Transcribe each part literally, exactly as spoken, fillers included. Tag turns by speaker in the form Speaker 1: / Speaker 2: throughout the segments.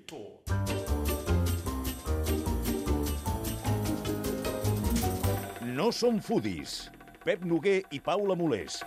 Speaker 1: Four.
Speaker 2: No som foodies. Pep Noguer i Paula Molés.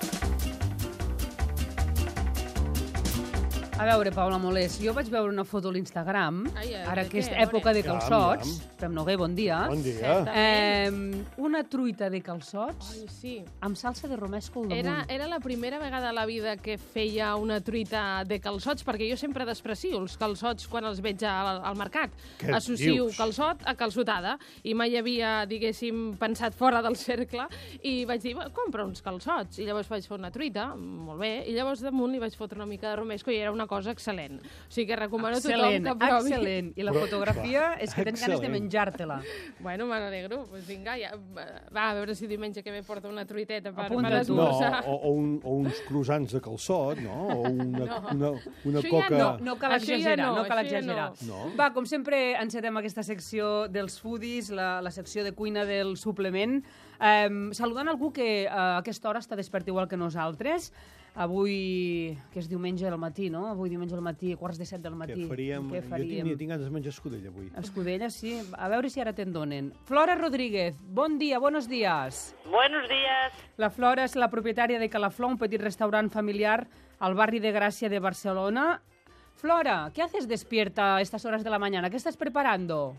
Speaker 3: A veure, Paula Molés, jo vaig veure una foto a l'Instagram,
Speaker 4: Ai, ai,
Speaker 3: ara
Speaker 4: de
Speaker 3: que és
Speaker 4: què?
Speaker 3: època de
Speaker 5: Aviam,
Speaker 3: calçots.
Speaker 5: aviam.
Speaker 3: Pep Noguer, bon dia.
Speaker 5: Bon dia.
Speaker 3: Eh, una truita de calçots
Speaker 4: Ai, sí.
Speaker 3: amb salsa de romesco al damunt.
Speaker 4: Era, era la primera vegada a la vida que feia una truita de calçots, perquè jo sempre desprecio els calçots quan els veig al, al mercat.
Speaker 5: Què
Speaker 4: Associo
Speaker 5: dius?
Speaker 4: calçot a calçotada, i mai havia, diguéssim, pensat fora del cercle, i vaig dir, compra uns calçots, i llavors vaig fer una truita, molt bé, i llavors damunt li vaig fotre una mica de romesco i era una cosa excel·lent. O sigui que recomano
Speaker 3: Excel·lent,
Speaker 4: a tothom que provi.
Speaker 3: excel·lent. I la
Speaker 5: Però,
Speaker 3: fotografia és que tens ganes de
Speaker 5: excel·lent.
Speaker 3: menjar-te-la.
Speaker 4: Bueno, me n'alegro. Pues vinga, ja. Va, a veure si diumenge que ve porta una truiteta per,
Speaker 3: Apunta
Speaker 4: per
Speaker 3: tu.
Speaker 5: No,
Speaker 4: esmorzar.
Speaker 5: o, o, un, o uns croissants de calçot, no? O una,
Speaker 4: No.
Speaker 5: una, una
Speaker 4: Això ja
Speaker 5: coca...
Speaker 3: No, no cal
Speaker 4: Això ja
Speaker 3: exagerar,
Speaker 4: no,
Speaker 3: no, cal
Speaker 4: això ja
Speaker 3: exagerar.
Speaker 5: no. No?
Speaker 3: Va, com sempre, encetem aquesta secció dels foodies, la, la secció de cuina del suplement, eh, saludant algú que a aquesta hora està despert igual que nosaltres. Avui, que és diumenge al matí, no? Avui diumenge al matí, quarts de set del matí.
Speaker 5: Què faríem?
Speaker 3: Què
Speaker 5: Jo
Speaker 3: faríem?
Speaker 5: tinc, tinc ganes de menjar escudella avui.
Speaker 3: Escudella, sí. A veure si ara te'n donen. Flora Rodríguez, bon dia, buenos días.
Speaker 6: Buenos días.
Speaker 3: La Flora és la propietària de Calaflor, un petit restaurant familiar al barri de Gràcia de Barcelona. Flora, ¿qué haces despierta a estas horas de la mañana? ¿Qué estás preparando?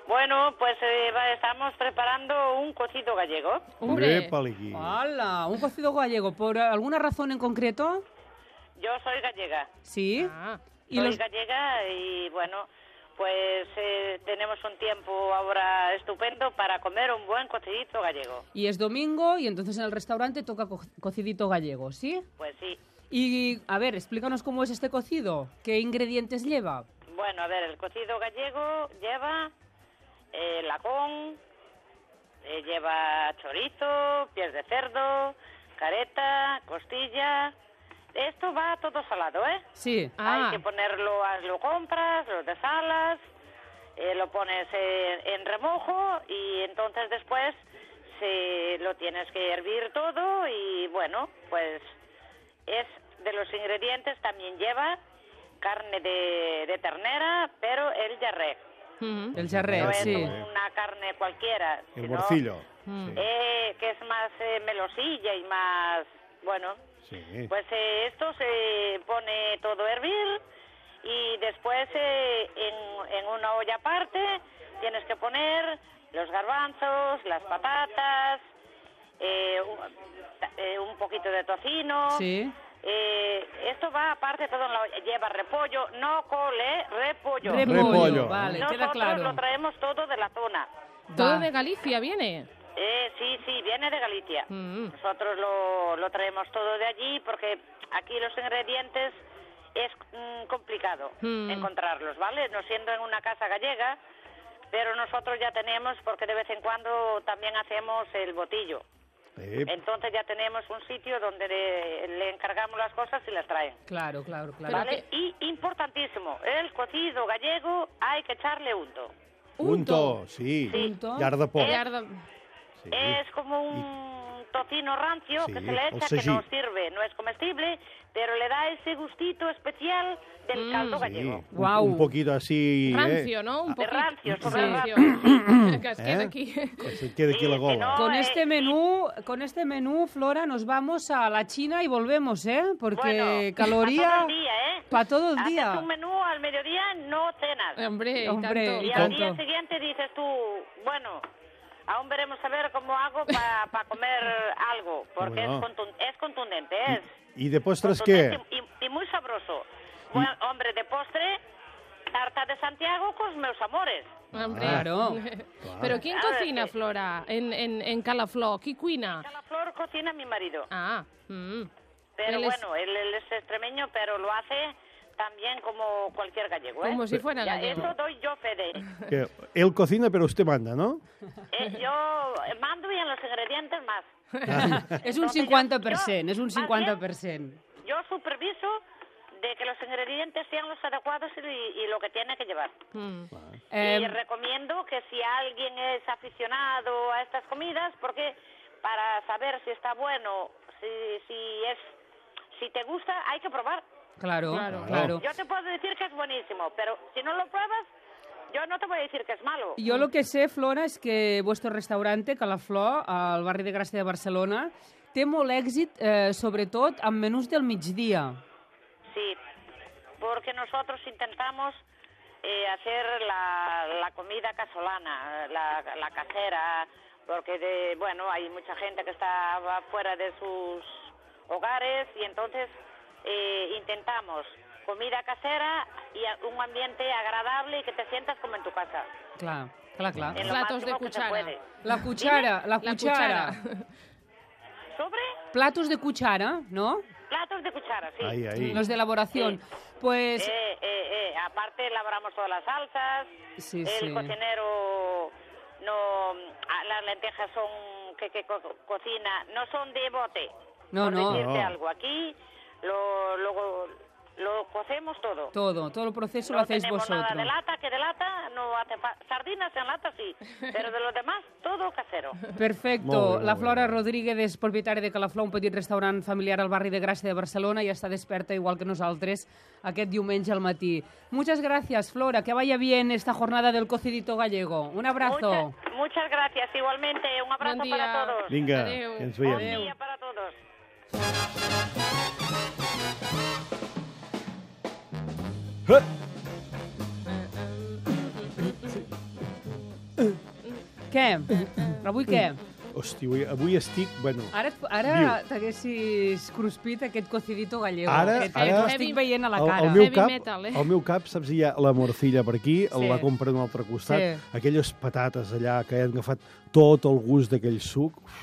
Speaker 6: Bueno, pues eh, va- estamos preparando un cocido gallego.
Speaker 4: Hombre,
Speaker 5: Épale-qui.
Speaker 3: ¡Hala! ¿Un cocido gallego? ¿Por alguna razón en concreto?
Speaker 6: Yo soy gallega.
Speaker 3: Sí.
Speaker 4: ah,
Speaker 3: ¿Y
Speaker 6: soy
Speaker 3: los...
Speaker 6: gallega y bueno, pues eh, tenemos un tiempo ahora estupendo para comer un buen cocidito gallego.
Speaker 3: y es domingo y entonces en el restaurante toca co- cocidito gallego, ¿sí?
Speaker 6: Pues sí.
Speaker 3: Y, a ver, explícanos cómo es este cocido. ¿Qué ingredientes lleva?
Speaker 6: Bueno, a ver, el cocido gallego lleva eh, lacón, eh, lleva chorizo, pies de cerdo, careta, costilla. Esto va todo salado, ¿eh?
Speaker 3: Sí.
Speaker 4: ah.
Speaker 6: Hay que ponerlo, lo compras, lo desalas, eh, lo pones en, en remojo y entonces después se lo tienes que hervir todo y bueno, pues es de los ingredientes, también lleva carne de, de ternera, pero el jarré.
Speaker 4: mhm.
Speaker 3: El jarret,
Speaker 6: No es
Speaker 3: sí.
Speaker 6: una carne cualquiera,
Speaker 5: El
Speaker 6: sino,
Speaker 5: morcillo.
Speaker 4: Mm.
Speaker 5: Sí.
Speaker 6: eh, que es más eh, melosilla y más, bueno,
Speaker 5: Sí.
Speaker 6: pues eh, esto se pone todo a hervir y después eh, en, en una olla aparte tienes que poner los garbanzos, las patatas, eh, un, eh, un poquito de tocino.
Speaker 3: Sí.
Speaker 6: Eh, esto va aparte todo en la olla. Lleva repollo, no cole, repollo.
Speaker 3: Repollo,
Speaker 5: Repollo.
Speaker 3: vale,
Speaker 6: Nosotros
Speaker 3: queda claro.
Speaker 6: lo traemos todo de la zona.
Speaker 4: Todo
Speaker 3: Va.
Speaker 4: de Galicia viene.
Speaker 6: Eh, sí, sí, viene de Galicia.
Speaker 4: Mm.
Speaker 6: Nosotros lo, lo traemos todo de allí porque aquí los ingredientes es mm, complicado
Speaker 4: Mm.
Speaker 6: encontrarlos, ¿vale? No siendo en una casa gallega, pero nosotros ya tenemos, porque de vez en cuando también hacemos el botillo.
Speaker 5: Ep.
Speaker 6: Entonces ya tenemos un sitio donde le, le encargamos las cosas y las traen.
Speaker 3: Claro, claro, claro.
Speaker 6: ¿Vale? Y importantísimo, el cocido gallego hay que echarle unto.
Speaker 5: Unto, sí.
Speaker 6: Sí.
Speaker 3: Unto.
Speaker 5: Llar de porc.
Speaker 4: Llar de-
Speaker 5: Sí.
Speaker 6: Es como un tocino rancio
Speaker 5: Sí,
Speaker 6: que se le
Speaker 5: el
Speaker 6: echa, que
Speaker 5: sagí.
Speaker 6: no sirve, no es comestible, pero le da ese gustito especial del
Speaker 4: Mm.
Speaker 6: caldo
Speaker 5: Sí,
Speaker 6: gallego.
Speaker 5: un,
Speaker 3: Guau.
Speaker 5: un poquito así,
Speaker 4: rancio,
Speaker 5: eh,
Speaker 4: ¿no? Un
Speaker 6: De
Speaker 4: poquito.
Speaker 6: rancio, sobre
Speaker 4: rancio. que es queda
Speaker 5: ¿Eh?
Speaker 4: aquí.
Speaker 5: que se quede aquí
Speaker 6: Sí,
Speaker 5: la
Speaker 6: que
Speaker 5: gola.
Speaker 6: no.
Speaker 3: Con
Speaker 6: eh,
Speaker 3: este menú, con este menú, Flora, nos vamos a la China y volvemos, ¿eh? Porque
Speaker 6: Bueno,
Speaker 3: caloría
Speaker 6: para todo el día, ¿eh?
Speaker 3: para todo el
Speaker 6: Haces
Speaker 3: día.
Speaker 6: un menú al mediodía, no cenas.
Speaker 4: Hombre, y
Speaker 3: Hombre,
Speaker 4: tanto.
Speaker 6: Y
Speaker 3: y
Speaker 6: al
Speaker 3: tanto.
Speaker 6: día siguiente dices tú, bueno, aún veremos a ver cómo hago para comer algo, porque
Speaker 5: Bueno.
Speaker 6: es, contun- es contundente, es
Speaker 5: ¿Y de postres qué?
Speaker 6: contundente y, y muy sabroso. Bueno, hombre, de postre, tarta de Santiago con meus amores.
Speaker 4: Hombre.
Speaker 3: Claro.
Speaker 4: Pero ¿quién
Speaker 6: A ver,
Speaker 4: cocina,
Speaker 6: que-
Speaker 4: Flora, en, en, en Calaflor? ¿Qui cuina?
Speaker 6: La flor cocina mi marido,
Speaker 4: Ah, mm.
Speaker 6: pero
Speaker 4: él es-
Speaker 6: bueno, él, él es extremeño, pero lo hace también como cualquier gallego, ¿eh?
Speaker 4: Como si fuera
Speaker 6: Ya,
Speaker 4: gallego.
Speaker 6: eso doy yo fe de.
Speaker 5: Que él cocina, pero usted manda, ¿no?
Speaker 6: Eh, yo mando y en los ingredientes más.
Speaker 3: Es un
Speaker 6: Entonces, yo-
Speaker 3: cincuenta per cent,
Speaker 6: yo,
Speaker 3: es un
Speaker 6: más
Speaker 3: cincuenta
Speaker 6: bien,
Speaker 3: per cent.
Speaker 6: Yo superviso de que los ingredientes sean los adecuados y, y lo que tiene que llevar.
Speaker 4: Mm.
Speaker 3: Eh,
Speaker 6: Y recomiendo que si alguien es aficionado a estas comidas, porque para saber si está bueno, si, si es, si te gusta, hay que probar.
Speaker 3: Claro,
Speaker 4: Claro.
Speaker 3: claro.
Speaker 6: Yo te puedo decir que es buenísimo, pero si no lo pruebas, yo no te voy a decir que es malo.
Speaker 3: Jo el que sé, Flora, és que vuestro restaurante, Calaflor, al barri de Gràcia de Barcelona, té molt èxit, eh, sobretot amb menús del migdia.
Speaker 6: Sí, porque nosotros intentamos eh, hacer la, la comida casolana, la, la casera, porque de, bueno, hay mucha gente que está fuera de sus hogares y entonces eh, intentamos comida casera y a- un ambiente agradable y que te sientas como en tu casa.
Speaker 3: Clar, clar, clar.
Speaker 6: En lo
Speaker 4: Platos de
Speaker 6: máximo que se
Speaker 4: cuchara.
Speaker 6: puede.
Speaker 3: La cuchara, la
Speaker 4: La
Speaker 3: cuchara.
Speaker 4: cuchara.
Speaker 6: ¿Sobre?
Speaker 3: Platos de cuchara, ¿no?
Speaker 6: Platos de cuchara, sí.
Speaker 5: Ahí, ahí.
Speaker 3: Los de elaboración. Pues...
Speaker 6: Eh, eh, eh, aparte elaboramos todas las salsas,
Speaker 3: Sí,
Speaker 6: el
Speaker 3: sí.
Speaker 6: cocinero no, ah, las lentejas son que, que co- cocina, no son de bote,
Speaker 3: No,
Speaker 6: por
Speaker 3: no.
Speaker 6: decirte
Speaker 5: No.
Speaker 6: algo. Aquí lo, lo, lo cocemos todo.
Speaker 3: Todo, todo el proceso lo
Speaker 6: No
Speaker 3: hacéis
Speaker 6: tenemos
Speaker 3: vosotros.
Speaker 6: nada de lata, que de lata no hace fa- sardinas en lata sí, pero de lo demás todo casero.
Speaker 3: Perfecto.
Speaker 5: Molt bé,
Speaker 3: la
Speaker 5: molt
Speaker 3: Flora
Speaker 5: bé.
Speaker 3: Rodríguez és propietària de Calaflor, un petit restaurant familiar al barri de Gràcia de Barcelona i està desperta igual que nosaltres aquest diumenge al matí. Muchas gracias, Flora. Que vaya bien esta jornada del cocidito gallego. Un abrazo.
Speaker 6: Muchas, muchas gracias, igualmente. Un abrazo
Speaker 4: Bon
Speaker 6: para
Speaker 4: dia.
Speaker 6: todos.
Speaker 5: Vinga,
Speaker 4: Adéu.
Speaker 5: que ens
Speaker 6: Buen
Speaker 5: veiem.
Speaker 6: día para todos.
Speaker 5: Eh!
Speaker 3: Què? Avui què?
Speaker 5: Hosti, avui, avui estic... Bueno,
Speaker 3: Ara, et- ara
Speaker 5: Viu.
Speaker 3: t'haguessis cruspit aquest cocidito gallego.
Speaker 5: Ara-
Speaker 3: que t'he-
Speaker 5: ara-
Speaker 3: t'ho estic veient a la
Speaker 5: el,
Speaker 3: cara.
Speaker 5: el, meu
Speaker 4: Heavy
Speaker 5: cap,
Speaker 4: metal, eh?
Speaker 5: el meu cap, saps, hi ha la morcilla per aquí,
Speaker 3: Sí.
Speaker 5: la compra a un altre costat,
Speaker 3: Sí.
Speaker 5: aquelles patates allà que han agafat tot el gust d'aquell suc. Uf,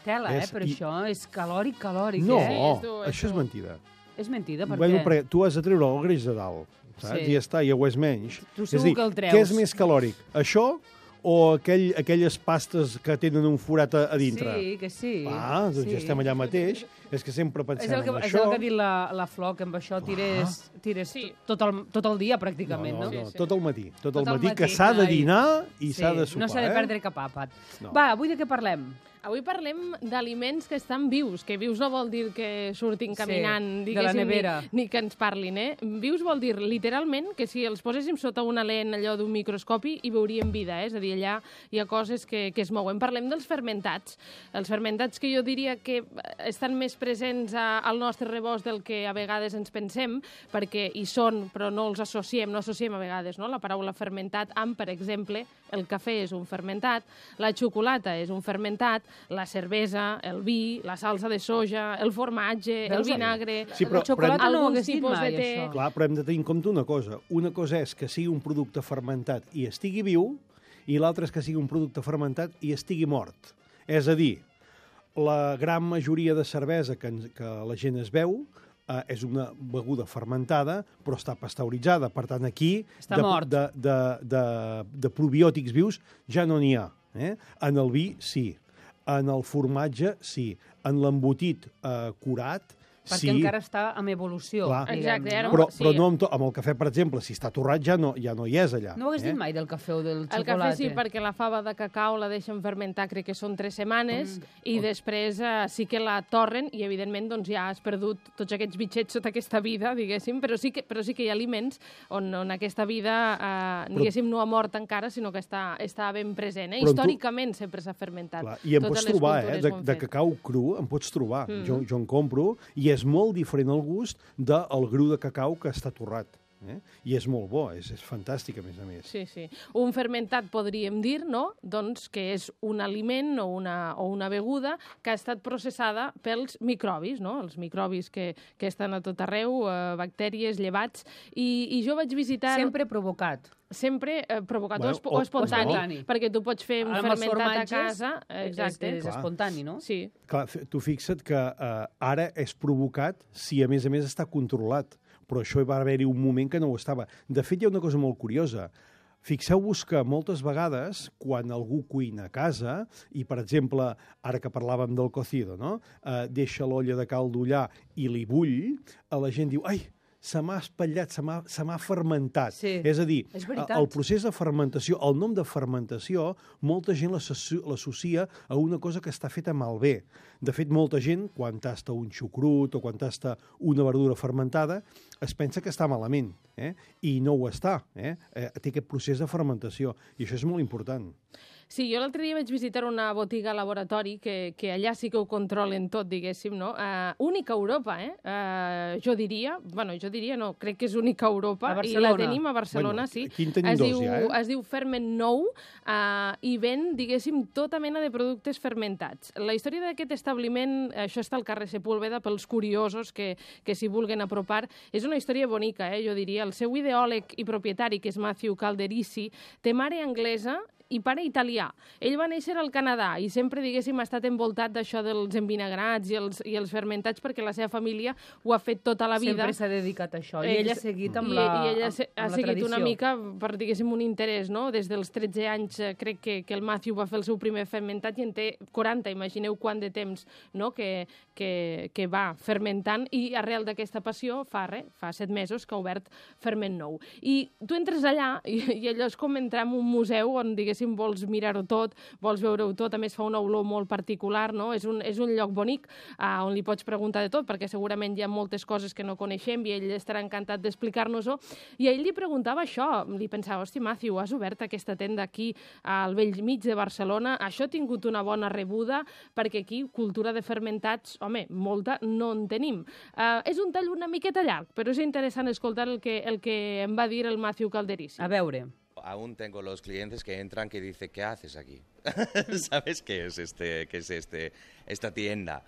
Speaker 3: Tela, eh?
Speaker 5: És-
Speaker 3: Però
Speaker 5: i-
Speaker 3: això és calòric, calòric,
Speaker 5: no,
Speaker 3: eh?
Speaker 4: és dur, és
Speaker 5: això és
Speaker 4: dur.
Speaker 5: mentida.
Speaker 3: És mentida, per
Speaker 5: bueno,
Speaker 3: què?
Speaker 5: perquè tu has de treure el greix de dalt, saps?
Speaker 3: Sí.
Speaker 5: I ja està, ja ho és menys.
Speaker 3: Tu
Speaker 5: és
Speaker 3: segur
Speaker 5: a dir,
Speaker 3: que el treus.
Speaker 5: què és més calòric? Això o aquell, aquelles pastes que tenen un forat a, a dintre?
Speaker 3: Sí, que sí.
Speaker 5: Ah, doncs
Speaker 3: sí.
Speaker 5: ja estem allà mateix. És que sempre
Speaker 3: És
Speaker 5: pensem
Speaker 3: el que,
Speaker 5: en
Speaker 3: és
Speaker 5: això.
Speaker 3: el que ha dit la, la Flor, que amb això tires, tires
Speaker 4: Sí.
Speaker 3: tot, el, tot el dia, pràcticament,
Speaker 5: no,
Speaker 3: no?
Speaker 5: no, no,
Speaker 4: Sí, sí.
Speaker 5: tot el matí. Tot,
Speaker 3: Tot
Speaker 5: el
Speaker 3: el
Speaker 5: matí, que
Speaker 3: matí,
Speaker 5: s'ha de
Speaker 3: ai.
Speaker 5: dinar i
Speaker 3: Sí,
Speaker 5: s'ha de sopar.
Speaker 3: no s'ha de
Speaker 5: eh?
Speaker 3: perdre cap àpat.
Speaker 5: No.
Speaker 3: Va, avui de què parlem?
Speaker 4: Avui parlem d'aliments que estan vius, que vius no vol dir que surtin
Speaker 3: Sí,
Speaker 4: caminant,
Speaker 3: de la
Speaker 4: diguéssim,
Speaker 3: nevera.
Speaker 4: ni, ni que ens parlin, eh? Vius vol dir, literalment, que si els poséssim sota una lent allò d'un microscopi hi veuríem vida, eh? És a dir, allà hi ha coses que, que es mouen. Parlem dels fermentats. Els fermentats que jo diria que estan més presents a, al nostre rebost del que a vegades ens pensem, perquè hi són, però no els associem, no associem a vegades no? la paraula fermentat amb, per exemple, el cafè és un fermentat, la xocolata és un fermentat, la cervesa, el vi, la salsa de soja, el formatge,
Speaker 3: Veus?
Speaker 4: el vinagre...
Speaker 5: Sí, però-
Speaker 3: la xocolata
Speaker 5: però
Speaker 3: no ho
Speaker 4: alguns
Speaker 3: hagués dit
Speaker 4: tipus
Speaker 3: mai,
Speaker 4: de té.
Speaker 3: això.
Speaker 5: Clar, però hem de tenir en compte una cosa. Una cosa és que sigui un producte fermentat i estigui viu, i l'altra és que sigui un producte fermentat i estigui mort. És a dir, la gran majoria de cervesa que, ens, que la gent es veu eh, és una beguda fermentada, però està pasteuritzada. Per tant, aquí
Speaker 3: Està
Speaker 5: de,
Speaker 3: mort.
Speaker 5: de, de, de, de probiòtics vius ja no n'hi ha. Eh? En el vi, sí. En el formatge, sí. En l'embotit eh, curat,
Speaker 3: Perquè
Speaker 5: sí.
Speaker 3: encara està en evolució,
Speaker 5: Clar.
Speaker 3: diguem,
Speaker 4: Exacte, ara
Speaker 3: no?
Speaker 5: Però,
Speaker 4: Sí.
Speaker 5: però no amb, to, amb el cafè, per exemple, si està torrat ja no, ja no hi és allà.
Speaker 3: No ho hagués
Speaker 5: eh?
Speaker 3: dit mai del cafè o del
Speaker 4: El
Speaker 3: xocolata.
Speaker 4: cafè sí, perquè la fava de cacau la deixen fermentar, crec que són tres setmanes, i després eh, sí que la torren i, evidentment, doncs, ja has perdut tots aquests bitxets sota aquesta vida, diguéssim, però sí que, però sí que hi ha aliments on, on aquesta vida, eh, diguéssim, no ha mort encara, sinó que està, està ben present. Eh?
Speaker 5: Però en tu-
Speaker 4: Històricament sempre s'ha fermentat.
Speaker 5: Clar, I en
Speaker 4: Totes
Speaker 5: pots
Speaker 4: les
Speaker 5: trobar, eh?
Speaker 4: cultures
Speaker 5: De,
Speaker 4: ho han
Speaker 5: de
Speaker 4: fet.
Speaker 5: cacau cru en pots trobar.
Speaker 4: Mm.
Speaker 5: Jo, jo en compro, i és molt diferent el gust del gru de cacau que està torrat. Eh? I és molt bo, és, és fantàstic, a més a més.
Speaker 4: Sí, sí. Un fermentat, podríem dir, no? Doncs que és un aliment o una, o una beguda que ha estat processada pels microbis, no? Els microbis que, que estan a tot arreu, eh, bactèries, llevats, i, i jo vaig visitar...
Speaker 3: Sempre provocat.
Speaker 4: Sempre eh, provocat
Speaker 5: Bueno,
Speaker 4: o, espo-
Speaker 5: o-
Speaker 4: o espontani,
Speaker 3: o espontani.
Speaker 4: perquè tu pots fer un
Speaker 3: Ara amb els
Speaker 4: fermentat a
Speaker 3: formatges,
Speaker 4: casa. eh, Exacte.
Speaker 3: És, és
Speaker 5: Clar.
Speaker 3: espontani, no?
Speaker 4: Sí.
Speaker 5: Clar, f- tu fixa't que eh, ara és provocat si, a més a més, està controlat. Però això va haver-hi un moment que no ho estava. De fet, hi ha una cosa molt curiosa. Fixeu-vos que moltes vegades, quan algú cuina a casa, i, per exemple, ara que parlàvem del cocido, no? eh, deixa l'olla de caldo allà i li bull, a la gent diu, ai, se m'ha espatllat, se m'ha se m'ha fermentat.
Speaker 3: Sí,
Speaker 5: és a dir,
Speaker 3: és veritat.
Speaker 5: el procés de fermentació, el nom de fermentació, molta gent l'associa l'associa a una cosa que està feta malbé. De fet, molta gent, quan tasta un xucrut o quan tasta una verdura fermentada, es pensa que està malament, eh? I no ho està. Eh? Eh, té aquest procés de fermentació, i això és molt important.
Speaker 4: Sí, jo l'altre dia vaig visitar una botiga laboratori que, que allà sí que ho controlen tot, diguéssim, no? Uh, única a Europa, eh? Uh, jo diria, bueno, jo diria no, crec que és única a Europa,
Speaker 3: A
Speaker 4: i la
Speaker 3: Barcelona.
Speaker 4: tenim a Barcelona,
Speaker 5: Bueno,
Speaker 4: sí.
Speaker 5: aquí en tenim
Speaker 4: es
Speaker 5: dos
Speaker 4: diu,
Speaker 5: ja, eh?
Speaker 4: Es diu Ferment Nou uh, i ven, diguéssim, tota mena de productes fermentats. La història d'aquest establiment, això està al carrer Sepúlveda, pels curiosos que, que s'hi vulguen apropar, és una història bonica, eh, jo diria. El seu ideòleg i propietari, que és Matthew Calderisi, té mare anglesa i pare italià. Ell va néixer al Canadà i sempre, diguéssim, ha estat envoltat d'això dels envinagrats i els, i els fermentats perquè la seva família ho ha fet tota la vida.
Speaker 3: Sempre s'ha dedicat a això. I ell ha seguit amb
Speaker 4: I,
Speaker 3: la
Speaker 4: I ella
Speaker 3: amb,
Speaker 4: ha
Speaker 3: amb la
Speaker 4: seguit
Speaker 3: tradició.
Speaker 4: una mica per, diguéssim, un interès, no? Des dels tretze anys eh, crec que, que el Matthew va fer el seu primer fermentat i en té quaranta. Imagineu quant de temps, no? que, que, que va fermentant, i arrel d'aquesta passió fa res, fa set mesos que ha obert Ferment Nou. I tu entres allà i, i allò és com entrar en un museu on, diguéssim, vols mirar-ho tot, vols veure-ho tot, a més fa una olor molt particular, no? És un, és un lloc bonic uh, on li pots preguntar de tot, perquè segurament hi ha moltes coses que no coneixem i ell estarà encantat d'explicar-nos-ho. I a ell li preguntava això, li pensava, hosti, Matthew, has obert aquesta tenda aquí al vell mig de Barcelona, això ha tingut una bona rebuda, perquè aquí cultura de fermentats, home, molta no en tenim. Uh, és un tall una miqueta llarg, però és interessant escoltar el que, el que em va dir el Matthew Calderisi.
Speaker 3: A veure.
Speaker 1: Aún tengo los clientes que entran que dicen, ¿qué haces aquí? ¿Sabes qué es, este, qué es este, esta tienda?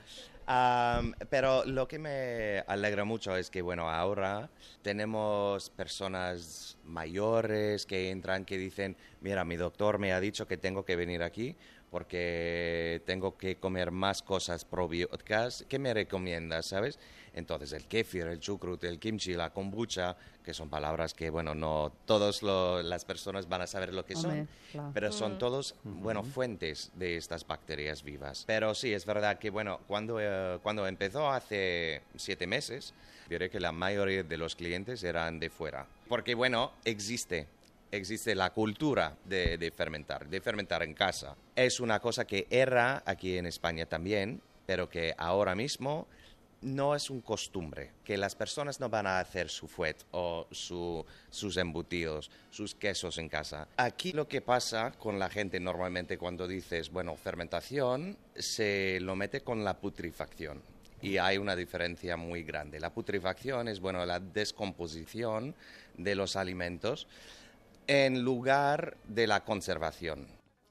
Speaker 1: Um, pero lo que me alegra mucho es que, bueno, ahora tenemos personas mayores que entran que dicen, mira, mi doctor me ha dicho que tengo que venir aquí porque tengo que comer más cosas probióticas. ¿Qué me recomiendas, sabes? Entonces, el kéfir, el chucrut, el kimchi, la kombucha, que son palabras que, bueno, no todas las personas van a saber lo que
Speaker 3: Hombre,
Speaker 1: son,
Speaker 3: claro.
Speaker 1: pero son todos, bueno, fuentes de estas bacterias vivas. Pero sí, es verdad que, bueno, cuando, eh, cuando empezó hace siete meses, diré que la mayoría de los clientes eran de fuera. Porque, bueno, existe... existe la cultura de, de fermentar, de fermentar en casa. Es una cosa que era aquí en España también, pero que ahora mismo no es un costumbre, que las personas no van a hacer su fuet o su, sus embutidos, sus quesos en casa. Aquí lo que pasa con la gente normalmente cuando dices, bueno, fermentación, se lo mete con la putrefacción. Y hay una diferencia muy grande. La putrefacción es, bueno, la descomposición de los alimentos en lugar de la conservación.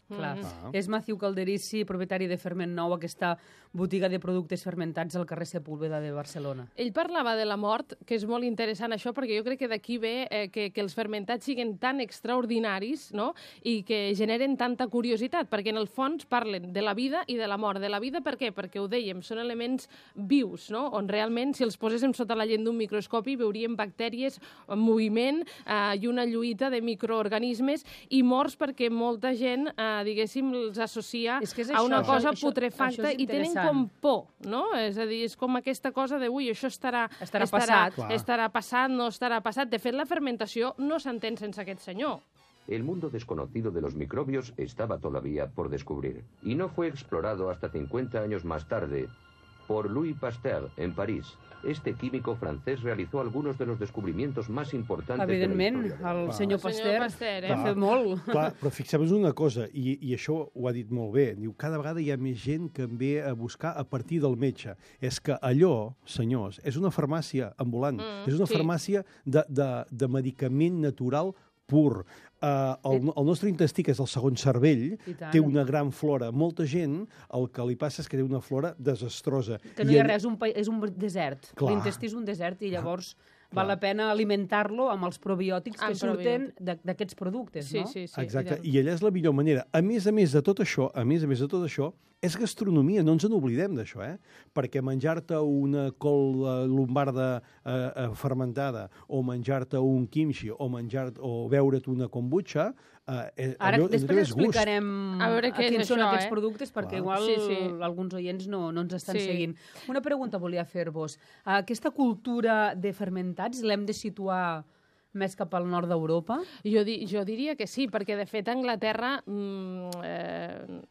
Speaker 3: Clar.
Speaker 5: Ah.
Speaker 3: És Matthew Calderisi, propietari de Ferment Nou, aquesta botiga de productes fermentats al carrer Sepúlveda de Barcelona.
Speaker 4: Ell parlava de la mort, que és molt interessant això, perquè jo crec que d'aquí ve eh, que, que els fermentats siguin tan extraordinaris, no?, i que generen tanta curiositat, perquè en el fons parlen de la vida i de la mort. De la vida per què? Perquè ho dèiem, són elements vius, no?, on realment si els poséssim sota la lent d'un microscopi veuríem bactèries en moviment eh, i una lluita de microorganismes, i morts perquè molta gent, eh, diguéssim, els associa
Speaker 3: És que és
Speaker 4: a
Speaker 3: això,
Speaker 4: una
Speaker 3: això-
Speaker 4: cosa
Speaker 3: això-
Speaker 4: putrefacta
Speaker 3: això és
Speaker 4: i tenen
Speaker 3: interessant.
Speaker 4: com por, no? És a dir, és com aquesta cosa de, ui, això estarà...
Speaker 3: Estarà passat.
Speaker 5: Clar.
Speaker 4: Estarà passat, no estarà passat. De fet, la fermentació no s'entén sense aquest senyor.
Speaker 7: El mundo desconocido de los microbios estaba todavía por descubrir, y no fue explorado hasta cincuenta años más tarde por Louis Pasteur en París. Este químico francés realizó algunos de los descubrimientos más importantes
Speaker 3: Evidentment,
Speaker 7: de la historia del
Speaker 3: el
Speaker 7: mundo.
Speaker 3: senyor
Speaker 4: El senyor
Speaker 3: Pasteur,
Speaker 4: Pasteur, eh?
Speaker 3: va fer molt.
Speaker 5: Clar, però fixem-nos una cosa, i, i això ho ha dit molt bé, diu, cada vegada hi ha més gent que en ve a buscar a partir del metge. És que allò, senyors, és una farmàcia ambulant,
Speaker 4: Mm,
Speaker 5: és una
Speaker 4: sí.
Speaker 5: farmàcia de, de, de medicament natural pur. Uh, el, el nostre intestí, que és el segon cervell,
Speaker 3: I tant.
Speaker 5: té una gran flora. Molta gent, el que li passa és que té una flora desastrosa.
Speaker 3: Que no hi ha
Speaker 5: ell-
Speaker 3: res, un pa- és un desert.
Speaker 5: Clar.
Speaker 3: L'intestí és un desert i llavors val
Speaker 5: Clar.
Speaker 3: la pena alimentar-lo amb els probiòtics que
Speaker 4: Amb
Speaker 3: surten de- d'aquests productes,
Speaker 4: Sí,
Speaker 3: no?
Speaker 4: sí, sí.
Speaker 5: Exacte,
Speaker 4: tant.
Speaker 5: i allà és la millor manera. A més a més de tot això, a més a més de tot això, és gastronomia, no ens n'oblidem d'això, eh? Perquè menjar-te una col eh, lombarda eh, eh, fermentada, o menjar-te un kimchi, o menjar o beure't una kombucha, eh, eh,
Speaker 3: Ara
Speaker 5: allò,
Speaker 3: després
Speaker 5: allò és gust.
Speaker 3: explicarem
Speaker 4: A veure què és
Speaker 3: quins són
Speaker 4: això,
Speaker 3: aquests
Speaker 4: eh?
Speaker 3: productes, perquè
Speaker 5: Clar.
Speaker 3: igual
Speaker 4: Sí, sí.
Speaker 3: alguns oients no, no ens estan
Speaker 4: Sí.
Speaker 3: seguint. Una pregunta volia fer-vos. Aquesta cultura de fermentar fermentats l'hem de situar més cap al nord d'Europa?
Speaker 4: Jo, di jo diria que sí, perquè de fet a Anglaterra, mm, eh,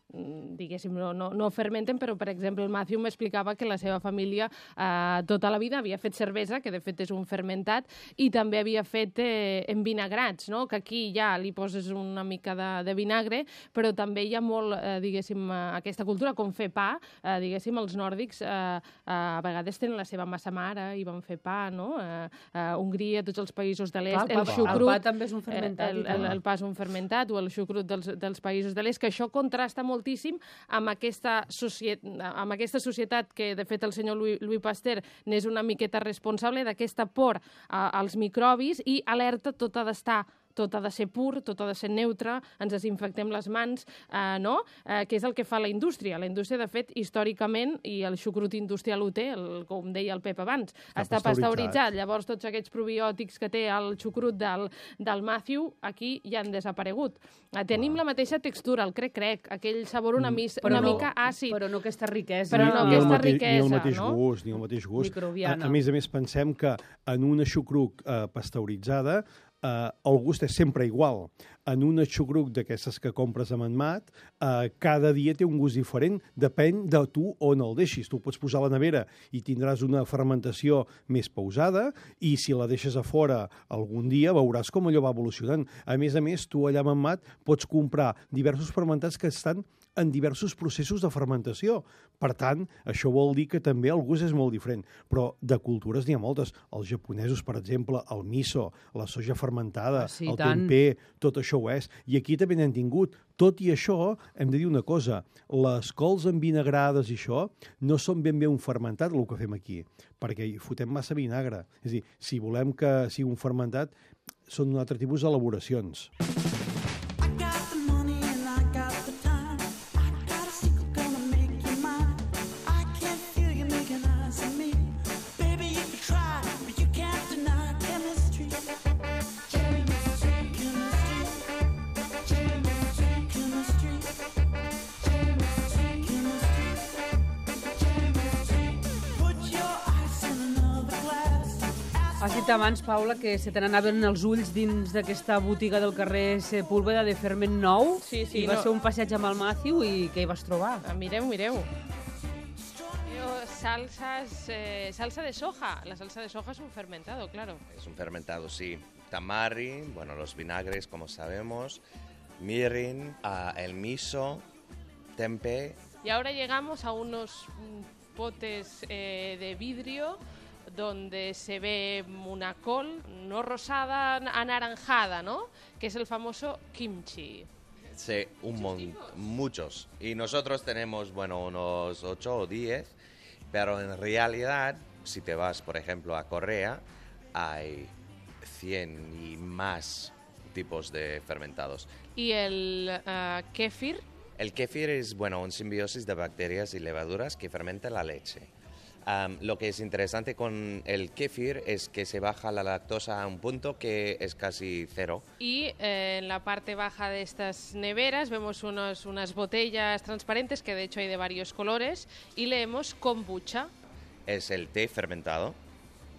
Speaker 4: diguéssim, no, no, no fermenten, però per exemple el Matthew m'explicava que la seva família eh, tota la vida havia fet cervesa, que de fet és un fermentat, i també havia fet eh, envinagrats, no? Que aquí ja li poses una mica de, de vinagre, però també hi ha molt, eh, diguéssim, eh, aquesta cultura, com fer pa, eh, diguéssim, els nòrdics eh, eh, a vegades tenen la seva massa mare i van fer pa, no? Eh, eh, Hongria, tots els països de l'est,
Speaker 3: Clar, el,
Speaker 4: el
Speaker 3: pa,
Speaker 4: xucrut...
Speaker 3: el pa també és un fermentat.
Speaker 4: El, el, el pa és un fermentat, o el xucrut dels, dels països de l'est, que això contrasta moltíssim amb aquesta, societ amb aquesta societat que, de fet, el senyor Louis, Louis Pasteur n'és una miqueta responsable d'aquesta por a, als microbis i alerta tot ha d'estar tot ha de ser pur, tot ha de ser neutre, ens desinfectem les mans, eh, no? Eh, que és el que fa la indústria. La indústria, de fet, històricament, i el xucrut industrial ho té, el, com deia el Pep abans, està, està pasteuritzat. Llavors, tots aquests probiòtics que té el xucrut del, del Matthew, aquí ja han desaparegut. Eh, tenim ah. la mateixa textura, el crec-crec, aquell sabor una, mis,
Speaker 3: mm,
Speaker 4: una
Speaker 3: no,
Speaker 4: mica àcid.
Speaker 3: Però no aquesta riquesa.
Speaker 4: Però no
Speaker 5: ni
Speaker 4: aquesta
Speaker 5: mateix,
Speaker 4: riquesa,
Speaker 5: ni el mateix
Speaker 4: no?
Speaker 5: gust, ni el mateix gust.
Speaker 3: Microbiana.
Speaker 5: A, a més a més, pensem que en una xucruc eh, pasteuritzada Uh, el gust és sempre igual. En una xucruc d'aquestes que compres a Manmat, uh, cada dia té un gust diferent, depèn de tu on el deixis. Tu pots posar a la nevera i tindràs una fermentació més pausada, i si la deixes a fora algun dia veuràs com allò va evolucionant. A més a més, tu allà a Manmat pots comprar diversos fermentats que estan en diversos processos de fermentació. Per tant, això vol dir que també el gust és molt diferent. Però de cultures n'hi ha moltes. Els japonesos, per exemple, el miso, la soja fermentada,
Speaker 3: ah, sí,
Speaker 5: el
Speaker 3: tant.
Speaker 5: tempeh, tot això ho és. I aquí també n'hem tingut. Tot i això, hem de dir una cosa, les cols envinagrades i això no són ben bé un fermentat, el que fem aquí, perquè hi fotem massa vinagre. És a dir, si volem que sigui un fermentat, són un altre tipus d'elaboracions.
Speaker 3: Has dit abans, Paula, que se te n'anaven els ulls dins d'aquesta botiga del carrer Sepúlveda de Ferment Nou.
Speaker 4: Sí, sí,
Speaker 3: I va
Speaker 4: no.
Speaker 3: ser un passeig amb el Matthew i què hi vas trobar?
Speaker 4: Ah, mireu, mireu. Salsas, eh, salsa de soja. La salsa de soja es un fermentado, claro.
Speaker 1: Es un fermentado, sí. Tamari, bueno, los vinagres, como sabemos, mirin, uh, el miso, tempeh.
Speaker 4: Y ahora llegamos a unos mm, potes eh, de vidrio donde se ve una col, no rosada, anaranjada, ¿no? Que es el famoso kimchi.
Speaker 1: Sí, un montón, muchos. Y nosotros tenemos, bueno, unos ocho o diez, pero en realidad, si te vas, por ejemplo, a Corea, hay cien y más tipos de fermentados.
Speaker 4: ¿Y el uh, kéfir?
Speaker 1: El kéfir es, bueno, un simbiosis de bacterias y levaduras que fermenta la leche. Um, lo que es interesante con el kéfir es que se baja la lactosa a un punto que es casi cero.
Speaker 4: Y eh, en la parte baja de estas neveras vemos unos, unas botellas transparentes, que de hecho hay de varios colores, y leemos kombucha.
Speaker 1: Es el té fermentado,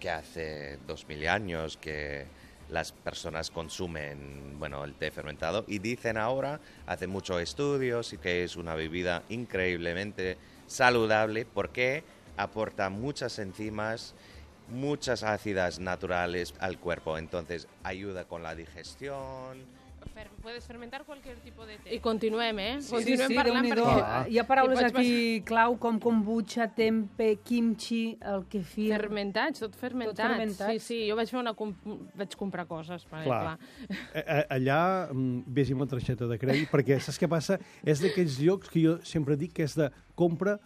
Speaker 1: que hace dos mil años que las personas consumen, bueno, el té fermentado, y dicen ahora, hace muchos estudios, y que es una bebida increíblemente saludable porque aporta muchas enzimas, muchas ácidas naturales al cuerpo, entonces ayuda con la digestión.
Speaker 4: Fer puedes fermentar cualquier tipo de té. I continuem, eh?
Speaker 3: Sí,
Speaker 4: continuem
Speaker 3: sí, sí,
Speaker 4: parlant perquè...
Speaker 3: Ah. Hi ha paraules
Speaker 4: hi
Speaker 3: aquí clau com kombucha, tempeh, kimchi, el kefir...
Speaker 4: Fermentats, tot fermentats.
Speaker 3: Tot fermentats.
Speaker 4: Sí, sí, jo vaig fer una... Com... vaig comprar coses. Perquè,
Speaker 5: clar.
Speaker 4: clar.
Speaker 5: Allà vés amb la targeta de crèdit, perquè saps què passa? És d'aquells llocs que jo sempre dic que és de compra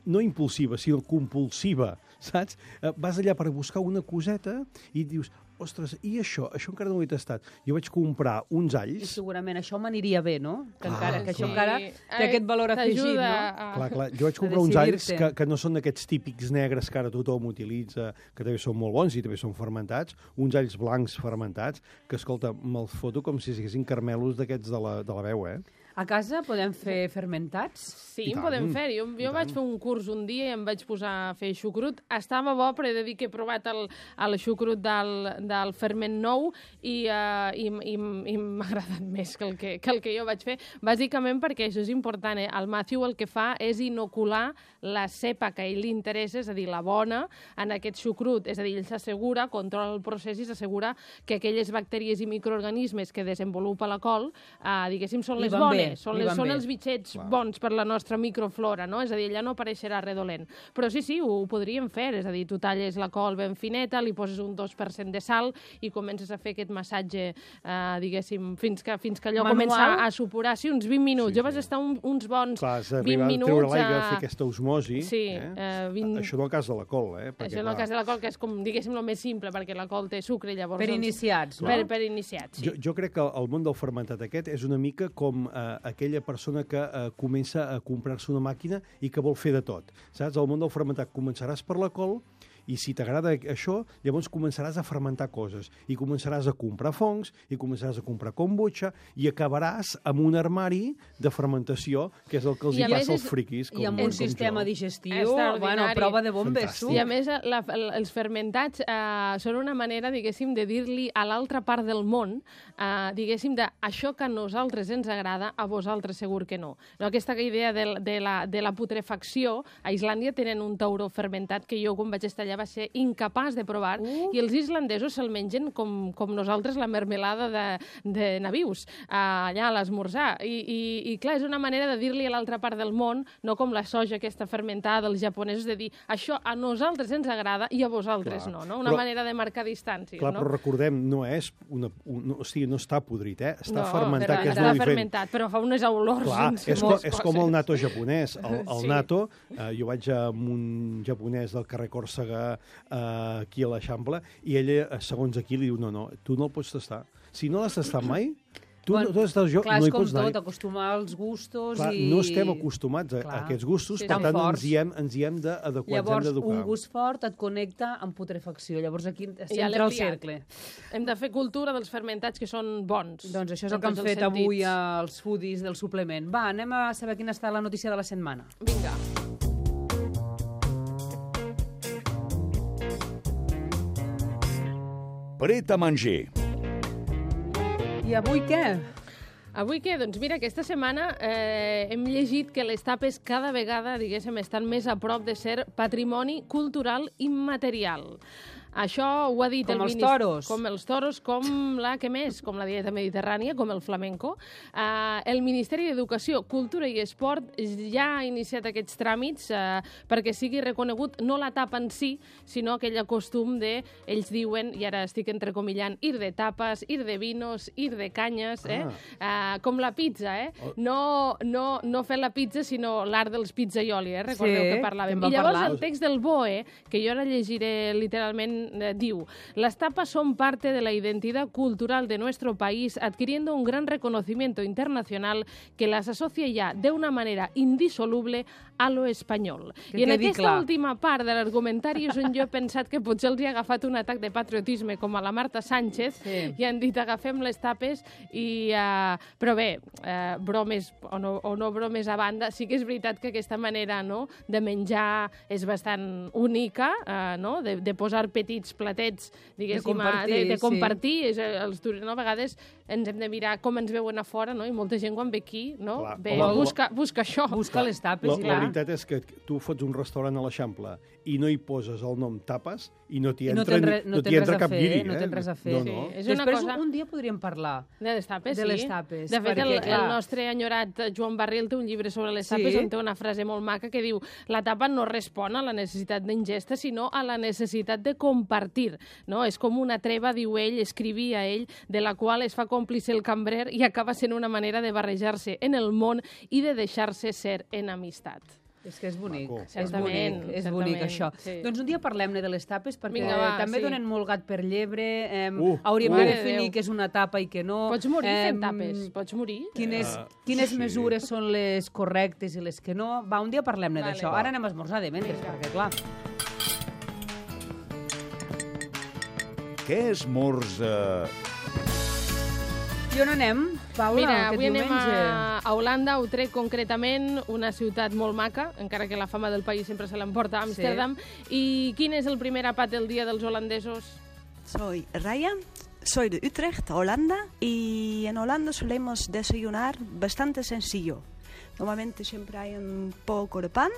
Speaker 5: no impulsiva, sinó compulsiva, saps? Vas allà per buscar una coseta i dius, ostres, i això? Això encara no ho he tastat. Jo vaig comprar uns
Speaker 3: I
Speaker 5: alls...
Speaker 3: segurament això m'aniria bé, no? Que,
Speaker 5: Ah,
Speaker 3: encara, que
Speaker 5: sí.
Speaker 3: això encara té aquest valor afegit, no?
Speaker 4: A...
Speaker 5: Clar, clar. Jo vaig comprar uns alls que, que no són d'aquests típics negres que ara tothom utilitza, que també són molt bons i també són fermentats, uns alls blancs fermentats, que, escolta, me'ls foto com si siguessin carmelos d'aquests de la, de la veu, eh?
Speaker 3: A casa podem fer fermentats?
Speaker 4: Sí, en podem fer. Jo, jo vaig fer un curs un dia i em vaig posar a fer xucrut. Estava bo, però he de dir que he provat el, el xucrut del, del ferment nou i, uh, i, i, i m'ha agradat més que el que, que el que jo vaig fer. Bàsicament perquè això és important. Eh? El Matthew el que fa és inocular la cepa que a ell li interessa, és a dir, la bona, en aquest xucrut. És a dir, ell s'assegura, controla el procés i s'assegura que aquelles bactèries i microorganismes que desenvolupa la col, uh, diguéssim, són les bones. Bé, són, les, són els bitxets Clar. bons per la nostra microflora, no? És a dir, allà no apareixerà redolent. Però sí, sí, ho, ho podríem fer. És a dir, tu talles la col ben fineta, li poses un dos per cent de sal i comences a fer aquest massatge, eh, diguéssim, fins que, fins que allò
Speaker 3: Manual.
Speaker 4: comença a supurar. Sí, uns vint minuts. Sí, jo vaig estar un, uns bons
Speaker 5: Clar,
Speaker 4: vint minuts.
Speaker 5: Treure l'aigua, a... fer aquesta osmosi.
Speaker 4: Sí.
Speaker 5: Eh?
Speaker 4: Eh, vint...
Speaker 5: Això en el cas de la col, eh?
Speaker 4: Perquè, Això en el cas de la col, que és com, diguéssim, el més simple, perquè la col té sucre, llavors...
Speaker 3: Per
Speaker 4: doncs,
Speaker 3: iniciats, no?
Speaker 4: Per, per iniciats, sí.
Speaker 5: Jo, jo crec que el món del fermentat aquest és una mica com eh, aquella persona que eh, comença a comprar-se una màquina i que vol fer de tot. Saps? El món del fermentat començaràs per la col i si t'agrada això, llavors començaràs a fermentar coses i començaràs a comprar fongs i començaràs a comprar kombucha i acabaràs amb un armari de fermentació, que és el que els hi passa als friquis. Com,
Speaker 3: I amb un
Speaker 5: com
Speaker 3: sistema
Speaker 5: jo.
Speaker 3: digestiu, bueno, prova de bombes.
Speaker 4: I a més, la, els fermentats eh, són una manera, diguéssim, de dir-li a l'altra part del món, eh, diguéssim, de això que a nosaltres ens agrada, a vosaltres segur que no. no aquesta idea de, de, la, de la putrefacció, a Islàndia tenen un tauró fermentat que jo, quan vaig estar allà, va ser incapaç de provar, uh. i els islandesos se'l mengen com, com nosaltres la mermelada de, de navius, uh, allà a l'esmorzar. I, i, I clar, és una manera de dir-li a l'altra part del món, no com la soja aquesta fermentada dels japonesos, de dir això a nosaltres ens agrada i a vosaltres clar. no, no? Una però, manera de marcar distàncies.
Speaker 5: Clar,
Speaker 4: no?
Speaker 5: però recordem, no és una, un, o sigui, no està podrit, eh? Està
Speaker 4: no,
Speaker 5: fermentat,
Speaker 4: però,
Speaker 5: que és
Speaker 4: està
Speaker 5: molt
Speaker 4: fermentat, però fa unes olors.
Speaker 5: Clar, és, co és com el natto japonès. El, el
Speaker 4: sí.
Speaker 5: natto, eh, jo vaig amb un japonès del carrer Còrsega eh, aquí a l'Eixample, i ella, segons aquí, li diu, no, no, tu no el pots tastar. Si no l'has tastat mai, tu
Speaker 3: bueno,
Speaker 5: no, estàs jo,
Speaker 3: clar,
Speaker 5: no hi
Speaker 3: és com
Speaker 5: pots anar.
Speaker 3: tot, acostumar als gustos
Speaker 5: clar,
Speaker 3: i...
Speaker 5: no estem acostumats a, a aquests gustos,
Speaker 3: sí,
Speaker 5: per tant
Speaker 3: forts.
Speaker 5: ens hi hem, ens hi hem d'adequar, ens hem d'educar.
Speaker 3: Llavors, un gust fort et connecta amb putrefacció. Llavors aquí
Speaker 4: ja
Speaker 3: entra el cercle.
Speaker 4: Hem de fer cultura dels fermentats que són bons.
Speaker 3: Doncs això és el que han fet sentits. avui els foodies del suplement. Va, anem a saber quina està la notícia de la setmana.
Speaker 4: Vinga.
Speaker 2: Pret a manger.
Speaker 3: I avui què?
Speaker 4: Avui què? Doncs mira, aquesta setmana eh, hem llegit que les tapes cada vegada, diguéssim, estan més a prop de ser patrimoni cultural immaterial. Això ho ha dit
Speaker 3: com
Speaker 4: el
Speaker 3: els toros.
Speaker 4: Com els toros, com la que més, com la dieta mediterrània, com el flamenco. Uh, el Ministeri d'Educació, Cultura i Esport ja ha iniciat aquests tràmits uh, perquè sigui reconegut no la tapa en si, sinó aquell costum de, ells diuen, i ara estic entrecomillant, ir de tapes, ir de vinos, ir de canyes, eh? Ah. Uh, com la pizza, eh? No, no, no fer la pizza, sinó l'art dels pizzaioli, eh? Recordeu
Speaker 3: sí,
Speaker 4: que parlàvem.
Speaker 3: que
Speaker 4: I llavors
Speaker 3: parlar.
Speaker 4: el text del B O E, que jo ara llegiré literalment, diu: las tapas son parte de la identidad cultural de nuestro país, adquiriendo un gran reconocimiento internacional que las asocia ya de una manera indisoluble a lo espanyol.
Speaker 3: Que
Speaker 4: I en aquesta
Speaker 3: clar.
Speaker 4: última part de l'argumentari és on jo he pensat que potser els hi ha agafat un atac de patriotisme com a la Marta Sánchez
Speaker 3: sí.
Speaker 4: i han dit agafem les tapes i... Uh, però bé, uh, bromes o no, o no bromes a banda, sí que és veritat que aquesta manera no, de menjar és bastant única, uh, no? de, de posar petits platets, diguéssim,
Speaker 3: de compartir,
Speaker 4: de, de compartir.
Speaker 3: sí.
Speaker 4: És, els no, a vegades ens hem de mirar com ens veuen a fora, no? I molta gent quan ve aquí, no?
Speaker 5: Clar,
Speaker 4: ve,
Speaker 5: home,
Speaker 4: busca, busca això.
Speaker 3: Busca les tapes.
Speaker 5: La,
Speaker 3: i
Speaker 5: la
Speaker 3: clar.
Speaker 5: veritat és que tu fots un restaurant a l'Eixample i no hi poses el nom tapes i no t'hi
Speaker 3: I no
Speaker 5: entra,
Speaker 3: tens re,
Speaker 5: ni,
Speaker 3: no
Speaker 5: no t'hi
Speaker 3: tens
Speaker 5: entra
Speaker 3: res a
Speaker 5: cap
Speaker 3: fer,
Speaker 5: guiri.
Speaker 3: no
Speaker 5: Eh?
Speaker 3: tens res a fer.
Speaker 5: No,
Speaker 4: Sí,
Speaker 5: no.
Speaker 4: és una
Speaker 3: Després,
Speaker 4: cosa...
Speaker 3: un dia podríem parlar
Speaker 4: De les tapes,
Speaker 3: de
Speaker 4: sí.
Speaker 3: les tapes.
Speaker 4: De fet,
Speaker 3: perquè,
Speaker 4: el,
Speaker 3: clar,
Speaker 4: el nostre enyorat Joan Barril té un llibre sobre les
Speaker 3: Sí.
Speaker 4: tapes on té una frase molt maca que diu: la tapa no respon a la necessitat d'ingesta, sinó a la necessitat de compartir. No? És com una treva, diu ell, escrivia ell, de la qual es fa còmplice el cambrer i acaba sent una manera de barrejar-se en el món i de deixar-se ser en amistat.
Speaker 3: És que és bonic,
Speaker 5: Maco.
Speaker 3: és
Speaker 4: Certament,
Speaker 3: bonic, és
Speaker 4: certament,
Speaker 3: bonic això.
Speaker 4: sí.
Speaker 3: Doncs un dia parlem-ne de les tapes, perquè
Speaker 4: Vinga, va,
Speaker 3: també
Speaker 4: sí.
Speaker 3: donen molt gat per llebre, eh,
Speaker 5: Uh,
Speaker 3: hauríem
Speaker 5: uh.
Speaker 3: de
Speaker 4: Mare de
Speaker 3: definir
Speaker 4: Déu.
Speaker 3: què és una tapa i què no.
Speaker 4: Pots morir
Speaker 3: Eh,
Speaker 4: fent tapes, pots morir.
Speaker 3: Quines,
Speaker 5: Uh,
Speaker 3: quines
Speaker 5: sí.
Speaker 3: mesures són les correctes i les que no? Va, un dia parlem-ne
Speaker 4: Vale.
Speaker 3: d'això. Ara anem a esmorzar de mentre, perquè clar...
Speaker 2: Què esmorza
Speaker 3: I on anem, Paula,
Speaker 4: Mira,
Speaker 3: aquest
Speaker 4: avui anem
Speaker 3: diumenge?
Speaker 4: a, a Holanda, a Utrecht concretament, una ciutat molt maca, encara que la fama del país sempre se l'emporta a Amsterdam. Sí. I quin és el primer àpat del dia dels holandesos?
Speaker 8: Soy Raya, soy de Utrecht, Holanda, y en Holanda solemos desayunar bastante sencillo. Normalmente siempre hay un poco de pan.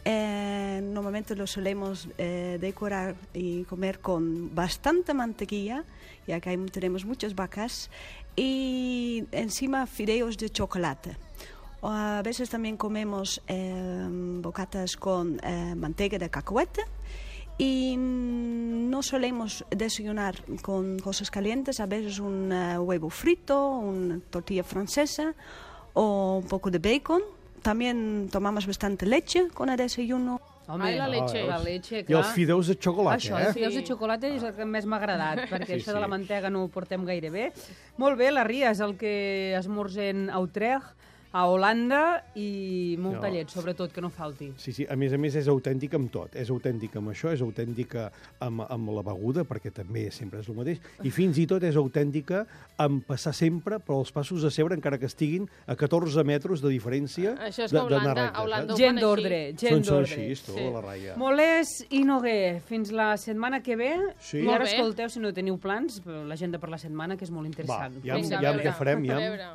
Speaker 8: Eh, normalmente lo solemos eh, decorar y comer con bastante mantequilla, ya que hay, tenemos muchas vacas, y encima fideos de chocolate. O a veces también comemos eh, bocatas con eh, manteca de cacahuete, y no solemos desayunar con cosas calientes, a veces un uh, huevo frito, una tortilla francesa o un poco de bacon. También tomamos bastante leche con el desayuno.
Speaker 3: Home,
Speaker 4: Ai, la leche.
Speaker 3: La leche,
Speaker 5: I
Speaker 3: clar.
Speaker 5: els fideus de xocolata,
Speaker 3: Això,
Speaker 5: eh?
Speaker 3: els fideus de xocolata és el que més m'ha agradat, perquè
Speaker 5: Sí,
Speaker 3: això
Speaker 5: sí.
Speaker 3: de la mantega no ho portem gaire bé. Molt bé, la Ria és el que esmorzem a Utrecht, a Holanda, i molta
Speaker 5: No.
Speaker 3: llet, sobretot, que no falti.
Speaker 5: Sí, sí, a més a més és autèntic amb tot. És autèntic amb això, és autèntica amb, amb la beguda, perquè també sempre és el mateix, i fins i tot és autèntica amb passar sempre per als passos de seure, encara que estiguin a catorze metres de diferència
Speaker 4: Això és
Speaker 5: de-
Speaker 4: que a Holanda-
Speaker 5: d'anar rectes,
Speaker 4: a Holanda
Speaker 5: eh?
Speaker 4: ho
Speaker 3: Gent
Speaker 4: fan
Speaker 3: d'ordre, gent
Speaker 5: Són, són
Speaker 3: d'ordre.
Speaker 5: així, tu,
Speaker 4: Sí.
Speaker 5: la Raya.
Speaker 3: Molés i Noguer, fins la setmana que ve.
Speaker 5: Sí.
Speaker 3: I
Speaker 4: Molt
Speaker 3: ara
Speaker 4: bé.
Speaker 3: escolteu, si no teniu plans, l'agenda per la setmana, que és molt
Speaker 5: Va,
Speaker 3: interessant.
Speaker 5: ja,
Speaker 4: Vinga,
Speaker 5: ja
Speaker 4: a
Speaker 5: què
Speaker 4: veure,
Speaker 5: farem,
Speaker 4: a
Speaker 5: ja.
Speaker 4: veure.